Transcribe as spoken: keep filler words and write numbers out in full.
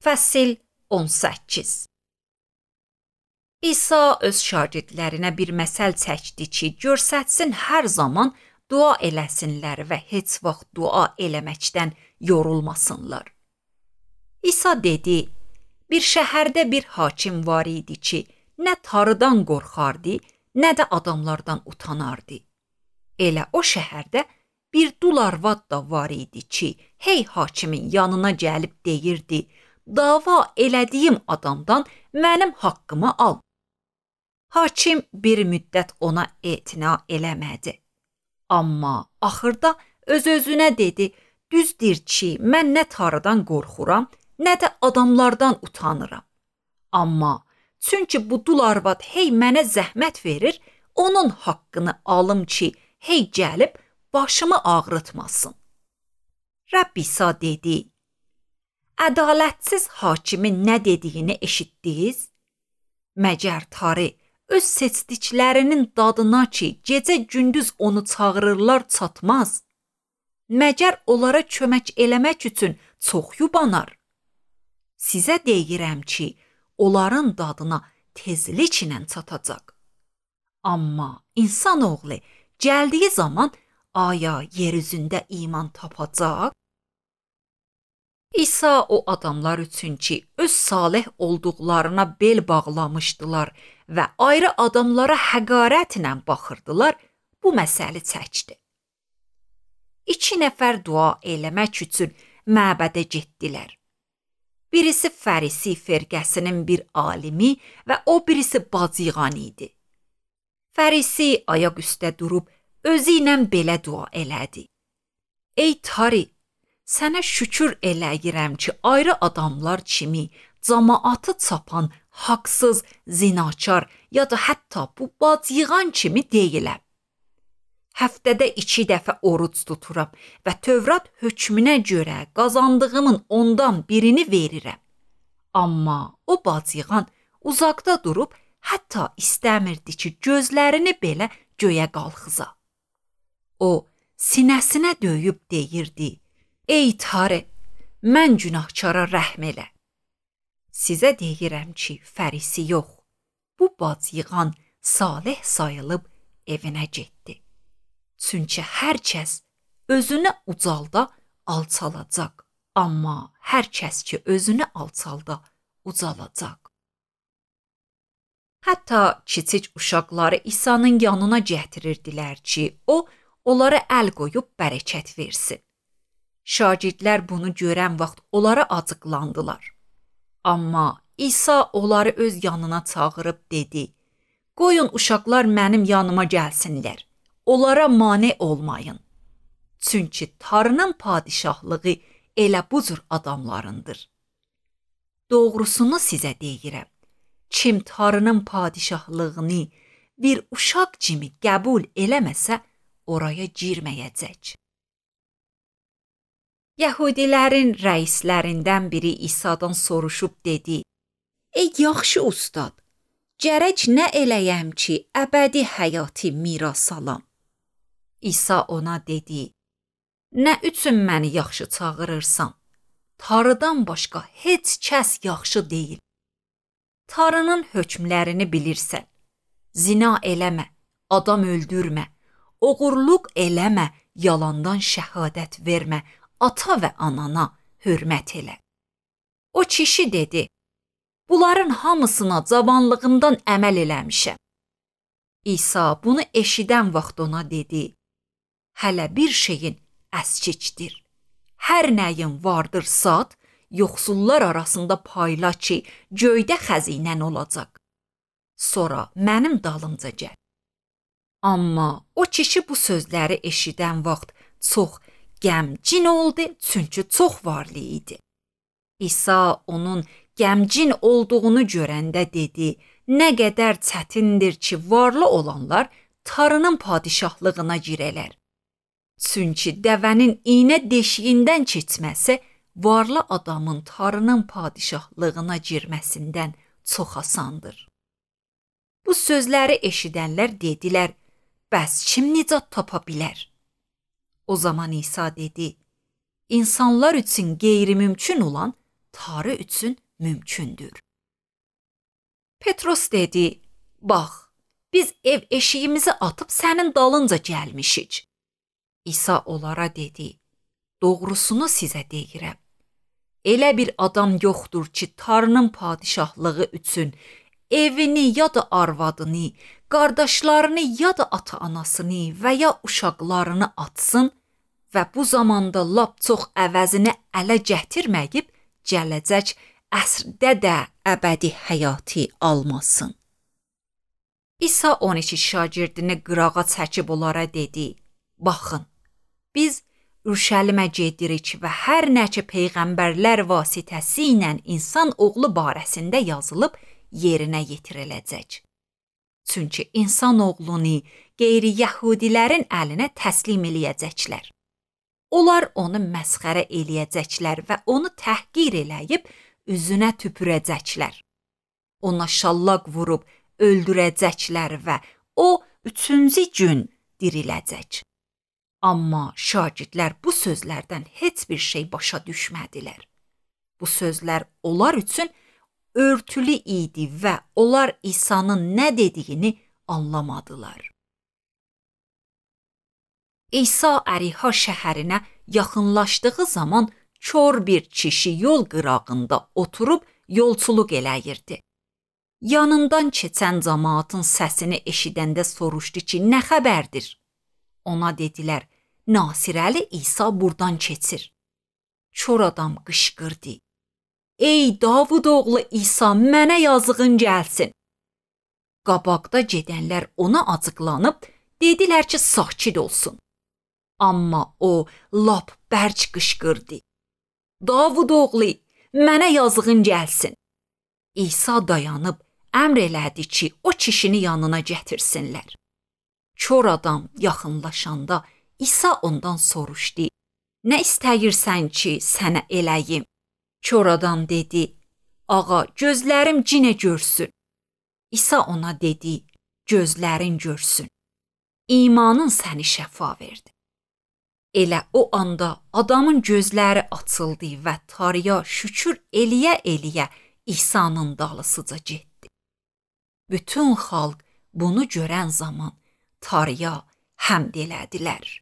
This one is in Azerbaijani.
Fəsil on səkkiz. İsa öz şagirdlərinə bir məsəl çəkdi ki, görsətsin hər zaman dua eləsinlər və heç vaxt dua eləməkdən yorulmasınlar. İsa dedi, bir şəhərdə bir hakim var idi ki, nə tarıdan qorxardı, nə də adamlardan utanardı. Elə o şəhərdə bir dul arvad da var idi ki, hey hakimin yanına gəlib deyirdi, dava elədiyim adamdan mənim haqqımı al. Hakim bir müddət ona etina eləmədi. Amma axırda öz-özünə dedi, düzdür ki, mən nə tarıdan qorxuram, nə də adamlardan utanıram. Amma çünki bu dul arvad hey mənə zəhmət verir, onun haqqını alım ki, hey gəlib başımı ağrıtmasın. Rəbb İsa dedi, ədalətsiz hakimin nə dediyini eşitdiniz? Məgər tarı öz seçdiklərinin dadına ki, gecə-gündüz onu çağırırlar çatmaz? Məgər onlara kömək eləmək üçün çox yubanar? Sizə deyirəm ki, onların dadına tezliklə çatacaq. Amma insanoğlu gəldiyi zaman aya yer üzündə iman tapacaq? İsa o adamlar üçün ki, öz salih olduqlarına bel bağlamışdılar və ayrı adamlara həqarətlə baxırdılar, bu məsəli çəkdi. İki nəfər dua eləmək üçün məbədə getdilər. Birisi Fərisi firqəsinin bir alimi və o birisi bacıqan idi. Fərisi ayaq üstə durub özü ilə belə dua elədi. Ey tarı, sənə şükür eləyirəm ki, ayrı adamlar kimi cəmaatı çapan, haqsız, zinakar ya da hətta bu bacıqan kimi deyiləm. Həftədə iki dəfə oruc tuturam və Tövrat hökmünə görə qazandığımın ondan birini verirəm. Amma o bacıqan uzaqda durub hətta istəmirdi ki, gözlərini belə göyə qalxıza. O, sinəsinə döyüb deyirdi, ey tarı, mən günahkara rəhm elə. Sizə deyirəm ki, Fərisi yox, bu bacıqan salih sayılıb evinə getdi. Çünki hər kəs özünü ucalda alçalacaq, amma hər kəs ki özünü alçalda ucalacaq. Hətta kiçik uşaqları İsa'nın yanına gətirirdilər ki, o onlara əl qoyub bərəkət versin. Şagirdlər bunu görən vaxt onlara acıqlandılar. Amma İsa onları öz yanına çağırıb dedi, qoyun uşaqlar mənim yanıma gəlsinlər, onlara mane olmayın. Çünki Tanrının padişahlığı elə bu cür adamlarındır. Doğrusunu sizə deyirəm, kim Tanrının padişahlığını bir uşaq kimi qəbul eləməsə, oraya girməyəcək. Yəhudilərin rəislərindən biri İsa'dan soruşub dedi, ey yaxşı ustad, gərək nə eləyəm ki, əbədi həyatı miras alam? İsa ona dedi, nə üçün məni yaxşı çağırırsan? Tanrıdan başqa heç kəs yaxşı deyil. Tanrının hökmlərini bilirsən. Zina eləmə, adam öldürmə, oğurluq eləmə, yalandan şəhadət vermə, ata və anana hörmət elə. O kişi dedi, bunların hamısına cavanlığımdan əməl eləmişəm. İsa bunu eşidən vaxt ona dedi, hələ bir şeyin əskikdir. Hər nəyin vardır sat, yoxsullar arasında payla ki, göydə xəzinən olacaq. Sonra mənim dalımca gəl. Amma o kişi bu sözləri eşidən vaxt çox qəmgin oldu, çünki çox varlı idi. İsa onun qəmgin olduğunu görəndə dedi, nə qədər çətindir ki, varlı olanlar Tanrının padişahlığına girələr. Çünki dəvənin iynə deşiyindən keçməsi varlı adamın Tanrının padişahlığına girməsindən çox asandır. Bu sözləri eşidənlər dedilər, bəs kim nicat tapa bilər? O zaman İsa dedi, insanlar üçün qeyri-mümkün olan tarı üçün mümkündür. Petros dedi, bax, biz ev eşiyimizi atıb sənin dalınca gəlmişik. İsa onlara dedi, doğrusunu sizə deyirəm. Elə bir adam yoxdur ki, tarının padişahlığı üçün evini ya da arvadını, qardaşlarını ya da ata-anasını və ya uşaqlarını atsın və bu zamanda lap çox əvəzini ələ gətirməyib, gələcək əsrdə də əbədi həyatı almasın. İsa on iki şagirdini qırağa çəkib onlara dedi, baxın, biz Ürşəlimə gedirik və hər nə ki peyğəmbərlər vasitəsi ilə insan oğlu barəsində yazılıb yerinə yetiriləcək. Çünki insan oğlunu qeyri-yəhudilərin əlinə təslim eləyəcəklər. Onlar onu məsxərə eləyəcəklər və onu təhqir eləyib üzünə tüpürəcəklər. Ona şallaq vurub öldürəcəklər və o üçüncü gün diriləcək. Amma şagirdlər bu sözlərdən heç bir şey başa düşmədilər. Bu sözlər onlar üçün örtülü idi və onlar İsa'nın nə dediyini anlamadılar. İsa Əriha şəhərinə yaxınlaşdığı zaman kör bir kişi yol qırağında oturub yolçuluq eləyirdi. Yanından keçən cəmaatın səsini eşidəndə soruşdu ki, nə xəbərdir? Ona dedilər, Nasirəli İsa buradan keçir. Kör adam qışqırdı. Ey Davud oğlu İsa, mənə yazığın gəlsin. Qabaqda gedənlər ona acıqlanıb, dedilər ki, sakit olsun. Amma o lap bərk qışqırdı. Davud oğlu, mənə yazığın gəlsin. İsa dayanıb əmr elədi ki, o kişini yanına gətirsinlər. Kör adam yaxınlaşanda İsa ondan soruşdu, nə istəyirsən ki, sənə eləyim? Kör adam dedi, ağa, gözlərim cinə görsün. İsa ona dedi, gözlərin görsün. İmanın səni şəfa verdi. Elə o anda adamın gözləri açıldı və tarıya şükür eləyə-eləyə İsa'nın dalısıca getdi. Bütün xalq bunu görən zaman tarıya həmd elədilər.